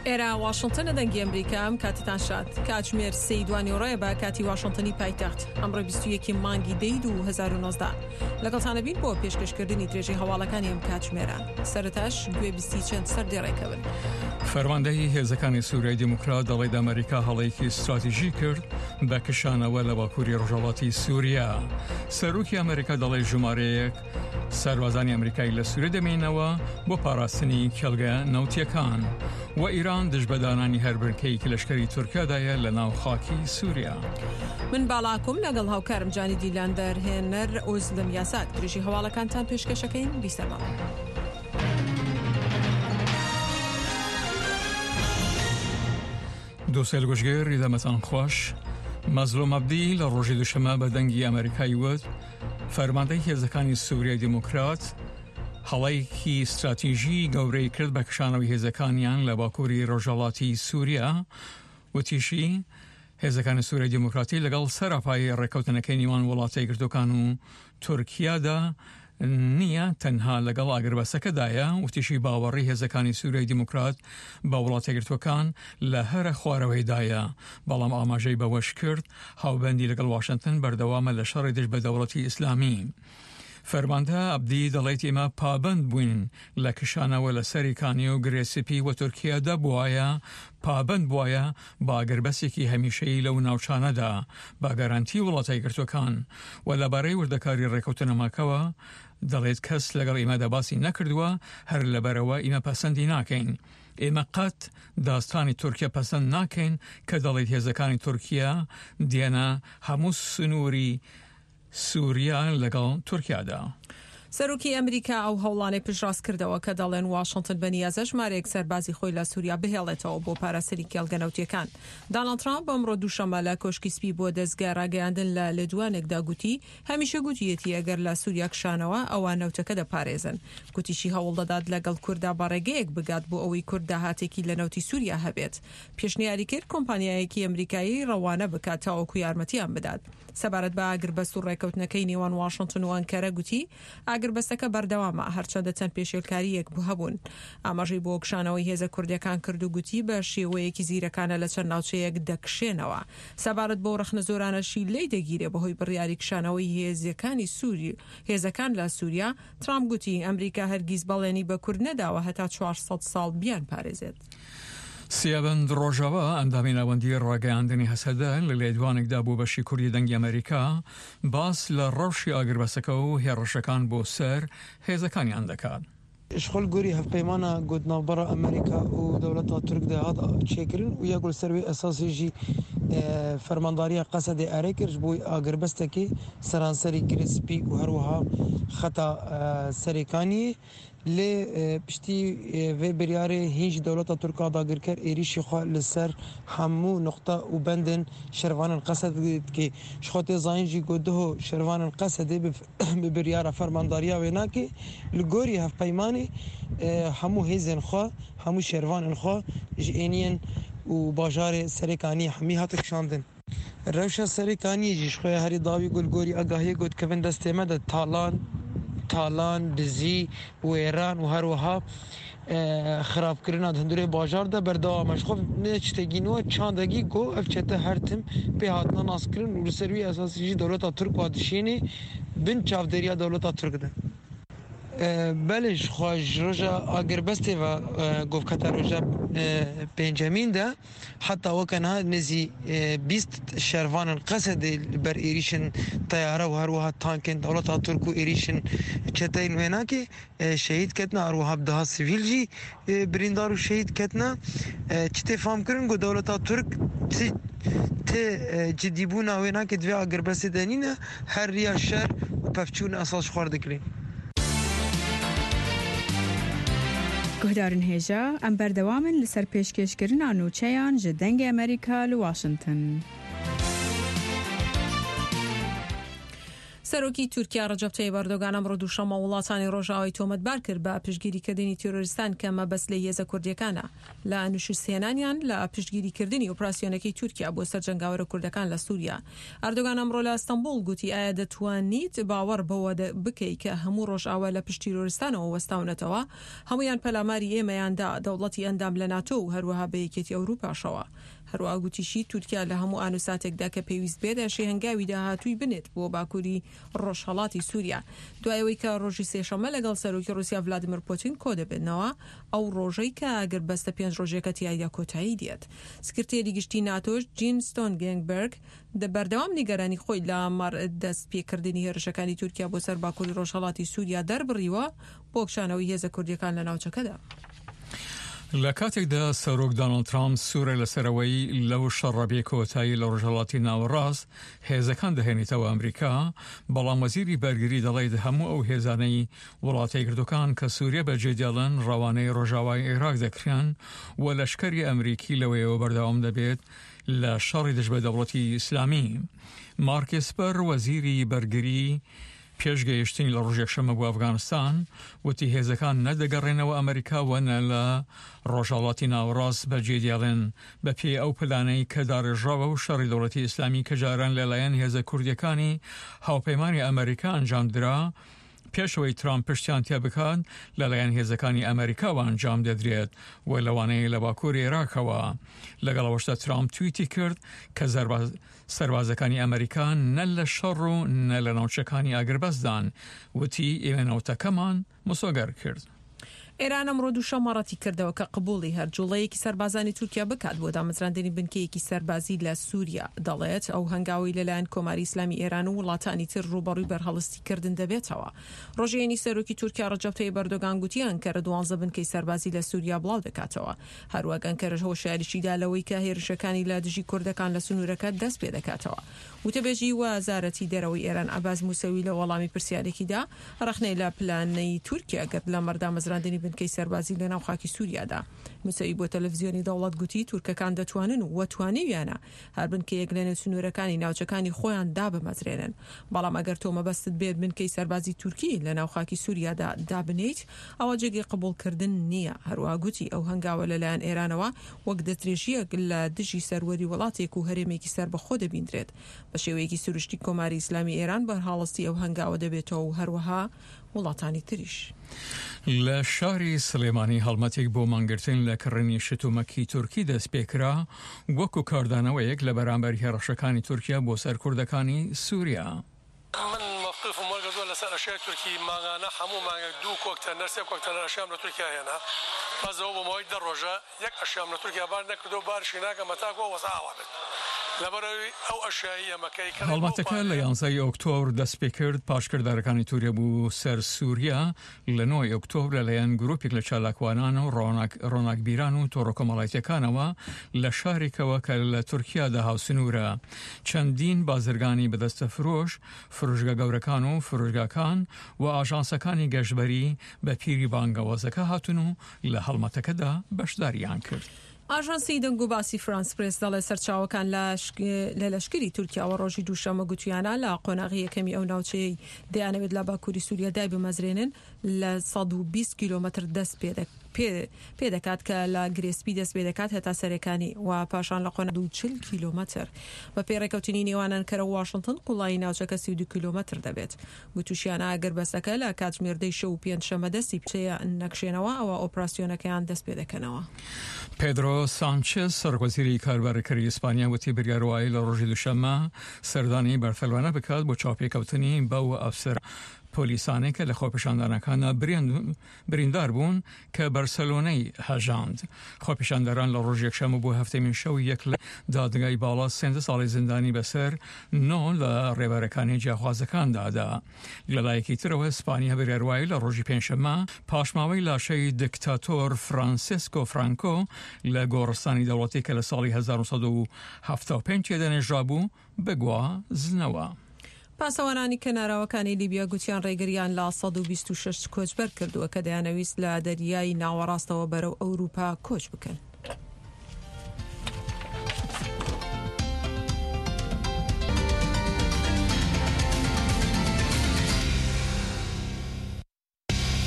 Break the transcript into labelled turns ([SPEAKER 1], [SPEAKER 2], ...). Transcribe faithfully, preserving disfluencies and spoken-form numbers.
[SPEAKER 1] ئێرە واشنتنە، دەنگی ئەمریکا. ئەم کاتتان شاد. کاتژمێر سێی دوانیوەڕۆیە بە کاتی واشنتنی پایتەخت. ئەمڕۆ بیست و یەکی مانگی دەی دوو هەزار و نۆزدە. لەگەڵتانە بین بۆ پێشکەشکردنی درێژەی هەواڵەکانی ئەم کاتژمێرە. سەرەتاش گوێبیستی چەند سەردێڕێکە بن.
[SPEAKER 2] فەرماندەی هێزەکانی سووریای دیموکرات دەڵێت ئەمریکا هەڵەیەکی استراتیژی کرد بە کشانەوە لە باکووری ڕۆژهەڵاتی سووریا. سەرۆکی ئەمریکا دەڵێت ژمارەیەک سەربازانی ئەمریکایی لە سووریا دەمێنەوە بۆ پاراستنی کێڵگە نەوتیەکان و ئیران دژ بە دانانی هەر بنکەیەکی لەشکری تورکیادایە لە ناو خاکی سووریا.
[SPEAKER 1] من باڵاکوم لەگەڵ هاوکارم جانی دیلان دەرهێنەر ئۆزلم یاسات درێژی هەواڵەکانتان پێشکەشەکەین. بیسەرماوە.
[SPEAKER 2] دووسێل گوشگێر دەمەتان خوش. مەزلوم عەبدی لە ڕۆژی دووشەممە بە دەنگی ئەمریکای وت فەرماندەی هێزەکانی سووریای دیموکرات هەڵەیەکی استراتیژی گەورەی کرد بە کشانەوەی هێزەکانیان لە باکووری ڕۆژهەڵاتی سووریا. وتیشی هێزەکانی سووریای دیموکراتی لەگەڵ سەراپای ڕێککەوتنەکەی نێوان وڵاتە یەکگرتووەکان و تورکیادا نییە، تەنها لەگەڵ ئاگربەسەکەدایە. وتیشی باوەڕی هێزەکانی سووریای دیموکرات بە وڵاتە یەکگرتووەکان لە هەرە خوارەوەیدایە، بەڵام ئاماژەی بەوەش کرد هاوبەندی لەگەڵ واشنتن بەردەوامە لە شەڕی دژ بە دەوڵەتی ئیسلامی. فەرماندە عەبدی دەڵێت ئێمە پابەند بووین لە کشانەوە لە سەری کانی و گرێ سپی و تورکیا دەبوایە پابەند بوایە بە ئاگربەسێکی هەمیشەیی لەو ناوچانەدا بە گەرانتی وڵاتە یەکگرتووەکان. و لەبارەی وردەکاری ڕێکەوتنەماکەوە دەڵێت کەس لەگەڵ ئێمەدا باسی نەکردووە، هەر لەبەرەوە ئێمە پەسەندی ناکەین. ئێمە قەت داستانی تورکیا پەسەند ناکەین کە دەڵێت هێزەکانی تورکیا دێنە هەموو سنووری سووریا لەگەڵ تورکیادا.
[SPEAKER 1] سەرۆکی ئەمریکا ئەو هەوڵانەی پشتڕاست کردەوە کە دەڵێن واشنتن بەنیازە ژمارەیەک سەربازی خۆی لە سووریا بهێڵێتەوە بۆ پاراستنی کێڵگە نەوتیەکان. داناڵد ترامپ ئەمڕۆ دووشەممە لە کۆشکی سپی بۆ دەزگای ڕاگەیاندن لە لێدوانێکدا گوتی هەمیشە گوتیەتی ئەگەر لە سووریا کشانەوە ئەوە نەوتەکە دەپارێزن. گوتیشی هەوڵ دەدات لەگەڵ کووردا بە ڕێگەیەک بگات بۆ ئەوەی کورد داهاتێکی لە نەوتی سووریا هەبێت. پێشنیاری کرد کۆمپانیایەکی ئەمریکایی ڕەوانە بکات تاوەکو یارمەتیان بدات. سەبارەت بە ئاگربەست و ڕێککەوتنەکەی نێوان واشنتن و ئەنکەرە گوتی ئاگربەستەکە بەردەوامە هەرچەندە چەند پێشێلکارییەک هەبوون. ئاماژەی بۆ کشانەوەی هێزە کوردیەکان کرد و گوتی بە شێوەیەکی زیرەکانە لە چەند ناوچەیەک دەکشێنەوە. سەبارەت بۆ ڕەخنە زۆرانەشی لێی دەگیرێ بەهۆی بڕیاری کشانەوەی هێزەکانی سووری هێزەکان لە سووریا، ترامپ گوتی ئەمریکا هەرگیز بەڵێنی بە کورد نەداوە هەتا چوار سەد ساڵ بیان پارێزێت.
[SPEAKER 2] سیابەند ڕۆژاوا ئەندامی ناوەندی ڕاگەیاندنی هەسەدە لە لێدوانێکدا بۆ بەشی کوردی دەنگی ئەمریکا باس لە ڕەوشی ئاگربەسەکە و هێڕشەکان بۆ سەر هێزەکانیان دەکات.
[SPEAKER 3] شخۆل گۆری هەڤپەیمانە گوت ناوبەرە ئەمریکا و دەوڵەتا تورک دەهات چێکردن و یەک سەروی ئەساسیژی فەرمانداریە قەسەدێ ئەرێ کرد بۆی ئاگربەستێکی سەرانسەری گرسپی و هەروەها خەتا سەرێکانی لێ پشتی وێ بریارێ هیچ دەوڵەتە تورکا داگیرکەر ئێریشی خوا لەسەر هەموو نقطە و بەندن شەرڤانن قەسەد دکێ. شخۆ تێ زانین ژی گوت دهۆ شەرڤانن قەسەدێ بە بریارە فەرمانداریە وێ ناکێ لە گۆری هەڤپەیمانی هەموو هێزێن خوا هەموو شەرڤانن خوا ژ ئێنیەن و باژارێ سەرێکانی هەمی هاتە کشاندن. ڕەوشە سەرێکانی ژیش خۆی هەری داوی گولگۆری ئاگاهی گوت کەون دەستێمە دە تاڵان تالان دزی وێران و هەروەها خراپکردنا هەندورێ باژاردا بەردەوامەش خۆ نێچتێگینەوە چاندەگی گۆ ئەف چەتە هەرتم پێ هاتنە ناسکردن و لەسەروی ئەساسیژی دەوڵەتا تورک وا دشێنێ بن چاودێریە دەوڵەتا تورکدا. بەلێ خۆش ڕۆژە ئاگربەستێ گۆفکەتە ڕۆژە پێنجەمیندا حتا وەکەنها نزی بیست شەرڤانن قەسەدێ بەر ئێریشن تەیارە و هەروەها تانکن دەوڵەتا تورک و ئێریشن چەتەین وێناکێ شەهید کەتنا، هەروەها بدەها سڤیل ژی بریندار و شەهید کەتنا. چ تێ فامکردن گۆ دەوڵەتا تورک تێ جدیبوونا وێناکێ دوێ ئاگربەستێ دەنینە هەر ڕیا شەر و پەفچوون ئەساس خوار دەکرێن.
[SPEAKER 4] گوهدارن هێژا ئەم بەردەوامن لەسەر پێشکێشکردنا نوچەیان ji دەنگê ئەمریکا لە واشنتن.
[SPEAKER 1] سەرۆکی تورکیا ڕەجەب تەیب ئەردۆگان ئەمڕۆ دووشەممە وڵاتانی ڕۆژئاوای تۆمەتبار کرد بە پشتگیریکردنی تیرۆریستان کە مەبەست لێی هێزە کوردییەکانە لە نوشوستهێنانیان لە پشتگیریکردنی ئۆپراسیۆنەکەی تورکیا بۆ سەر جەنگاوەرە کوردەکان لە سوریا. ئەردۆگان ئەمڕۆ لە ئەستەنبوڵ گوتی ئایا دەتوانیت باوەڕ بەوە بکەی کە هەموو ڕۆژئاوا لە پشت تیرۆریستانەوە وەستاونەتەوە؟ هەموویان پەلاماری ئێمەیان دا، دەوڵەتی ئەندام لە ناتۆ و هەروەها بە یەکێتی ئەوروپاشەوە. هەروەها گوتیشی تورکیا لە هەموو ئان و ساتێکدا کە پێویست بێت ئەشێ هەنگاوی داهاتووی بنێت بۆ باکووری ڕۆژهەڵاتی سوریا دوای ئەوەی کە ڕۆژی سێشەممە لەگەڵ سەرۆکی ڕوسیا ڤلادیمیر پوتین کۆدەبێنەوە، ئەو ڕۆژەی کە ئاگربەستە پێنج ڕۆژیەکە تیایدا کۆتایی دێت. سکرتێری گشتی ناتۆش جین ستۆنگێنگبێرگ بەردەوام نیگەرانی خۆی لە مەڕ دەست پێکردنی هێرشەکانی تورکیا بۆ سەر باکووری ڕۆژهەڵاتی سوریا دەربڕیوە بۆ کشانەوەی هێزە کوردیەکان لە ناوچەکەدا.
[SPEAKER 2] لە کاتێکدا سەرۆک دانۆڵد ترامپ سوورە لەسەر ئەوەی لەو شەڕە بێ کۆتایی لە ڕۆژهەڵاتی ناوەڕاست هێزەکان دەهێنێتەوە ئەمریکا، بەڵام وەزیری بەرگری دەڵێت هەموو ئەو هێزانەی وڵاتە یەکگرتووەکان کە سووریە بەجێ دێڵن ڕەوانەی ڕۆژاوای عێراق دەکرێن و لەشکری ئەمریکی لەوەیەوە بەردەوام دەبێت لە شەڕی دژ بە دەوڵەتی ئیسلامی. مارک ئێسپەر وەزیری بەرگری پێش گەیشتنی لە ڕۆژی یەکشەممە بۆ ئەفگانستان وتی هێزەکان نە دەگەڕێنەوە ئەمریکا و نە لە ڕۆژهەڵاتی ناوەڕاست بەجێ دێڵێن بە پێی ئەو پلانەی کە داڕێژراوە و شەڕی دەوڵەتی ئیسلامی کە جاران لەلایەن هێزە کوردیەکانی هاوپەیمانی ئەمریکا ئەنجام درا پێش ئەوەی ترامپ پشتیان تێ بکات لەلایەن هێزەکانی ئەمریکاوە ئەنجام دەدرێت و لەوانەیە لە باکووری عێراقەوە. لەگەڵ ئەوەشدا ترامپ تویتی کرد کە سەربازەکانی ئەمریکا نە لە شەڕ و نە لە ناوچەکانی ئاگربەستدان، وتی ئێمە نەوتەکەمان مسۆگەر کرد.
[SPEAKER 1] ئێران ئەمڕۆ دووشەممە ڕەتیکردەوە کە قبوڵی هەر جوڵەیەکی سەربازانی تورکیا بکات بۆ دامەزراندنی بنکەیەکی سەربازی لە سوریا، دەڵێت ئەو هەنگاوەی لەلایەن کۆماری ئیسلامی ئێران و وڵاتانی تر ڕووبەڕووی بەرهەڵستیکردن دەبێتەوە. ڕۆژی هەینی سەرۆکی تورکیا ڕەجەب تەیب ئەردۆگان گوتی ئەنکەرە دوانزە بنکەی سەربازی لە سوریا بڵاودەکاتەوە. هەروەک ئەنکەرەش هۆشیاریشی دا لەوەی کە هێرشەکانی لە دژی کوردەکان لە سنوورەکە دەست پێدەکاتەوە. وتەبێژی وەزارەتی دەرەوەی ئێران عەباس موسەوی لە وەڵامی پرسیارێکیدا ڕەخنەی لە پلانەی تورکیا گرت لەمەڕ دامەزراندنی بنکەی سەربازی لەناو خاکی سوریادا. موسەوی بۆ تەلەفزیۆنی دەوڵەت گوتی تورکەکان دەتوانن و توانیویانە هەر بنکەیەک لەنێو سنوورەکانی ناوچەکانی خۆیان دابمەزرێنن، بەڵام ئەگەر تۆ مەبەستت بێت بنکەی سەربازی تورکی لەناو خاکی سوریادا دابنێیت ئەوا جێگەی قبوڵکردن نییە. هەروەها گوتی ئەو هەنگاوە لەلایەن ئێرانەوە وەک دەستدرێژییەک لە دژی سەروەری وڵاتێک و هەرێمێکی سەربەخۆ دەبیندرێت. بە شێوەیەکی سروشتی کۆماری ئیسلامی ئێران بەرهەڵستی ئەو هەنگاوە دەبێتەوە و هەروەها وڵاتانی تریش.
[SPEAKER 2] لە شاری سلێمانی هەڵمەتێک بۆ مانگرتن لە کڕینی شتومەکی تورکی دەستپێکرا وەکو کاردانەوەیەک لە بەرامبەر هێڕشەکانی تورکیا بۆ سەر کوردەکانی سوریا.
[SPEAKER 5] من مەوقیفم وەرگرتووە لەسەر ئەشیای تورکی، مانگانە هەموو مانگێک دوو کۆکتەنەر سێ کۆکتەنەر ئەشیام لە تورکیا هێنا، بەس ئەوە بۆ ماوەی دە ڕۆژە یەک ئەشیام لە تورکیا بار نەکردووە، بارشی ناکەم هەتاکو ئەو وەزعە ئاوا بێت، لەبەرئەوەی ئەو ئەشیایەی ئێمە کە ئەیکڕین بەو
[SPEAKER 2] هەڵمەتەکە لە
[SPEAKER 5] پارەیە.
[SPEAKER 2] یانزە ی ئۆکتۆبر دەستپێکرد، پاش کردارەکانی توریا بۆ سەر سوریا لە نۆ ی ئۆکتۆبر لەلایەن گروپێک لە چالاکوانان و ڕۆناکبیران و تۆڕە کۆمەڵایەتیەکانەوە لە شارێکەوە کە لە تورکیادا هاوسنوورە چەندین بازرگانی بەدەستە فرۆش، فرۆشگا گەورەکان و فرۆشگاکان و ئاژانسەکانی گەشتبەری بە پیری بانگەوازەکە هاتون و لە هەڵمەتەکەدا بەشداریان کرد.
[SPEAKER 1] ئاژانسی دەنگوباسی فرانس پرێس دەڵێت سەرچاوەکان لە لەشکری تورکیاوە ڕۆژی دووشەممە گوتویانە لە قۆناغی یەکەمی ئەو ناوچەیەی دەیانەوێت لە باکووری سووریا دایبمەزرێنن لە سەد و بیست کیلۆمەتر دەست پێدەکات کە لە گرێسپی دەست پێدەکات هەتا سەرێکانی و پاشان لە قۆناغی دوو چل کیلۆمەتر بەپێی ڕێکەوتنی نێوان ئەنکەرە و واشنتن قوڵایی ناوچەکە سی و دوو کیلۆمەتر دەبێت. گوتوشیانە ئاگربەستەکە لە کاتژمێر دەی شەو و پێنجشەممە دەستی پێ نەکشێنەوە ئەوا ئۆپراسیۆنەکەیان دەست پێدەکەنەوە.
[SPEAKER 2] پێدرۆ سانچێز سەرۆکوەزیری کاربارەکەری ئیسپانیا وتی بڕیار وایە لە ڕۆژی دووشەممە سەردانی بەرسەلۆنە بکات بۆ چاوپێکەوتنی بەو ئەفسەرە پۆلیسانەی کە لە خۆپیشاندانەکاندا بریندار بوون کە بەرسەلۆنەی هەژاند. خۆپیشاندەران لە ڕۆژی یەکشەممە بۆ هەفتەمین شەو یەک لە دادگای باڵا سێزدە ساڵی زیندانی بەسەر نۆ لە ڕێبەرەکانی جیاخوازەکاندا دا. لەلایەکی ترەوە ئیسپانیا بڕیار وایە لە ڕۆژی پێنجشەممە پاشماوەی لاشەی دکتاتۆر فرانسیسکۆ فرانکۆ لە گۆڕستانی دەوڵەتی کە لە ساڵی هەزار و نۆ سەد و حەفتا و پێنج تێدا نێژرابوو بگوازنەوە.
[SPEAKER 1] پاسەوانانی کەناراوەکانی لیبیا گوتیان ڕێگریان لە سەد و بیست و شەش کۆچبەر کردووە کە دەیانەویست لە دەریای ناوەڕاستەوە بەرەو ئەوروپا کۆچ بکەن.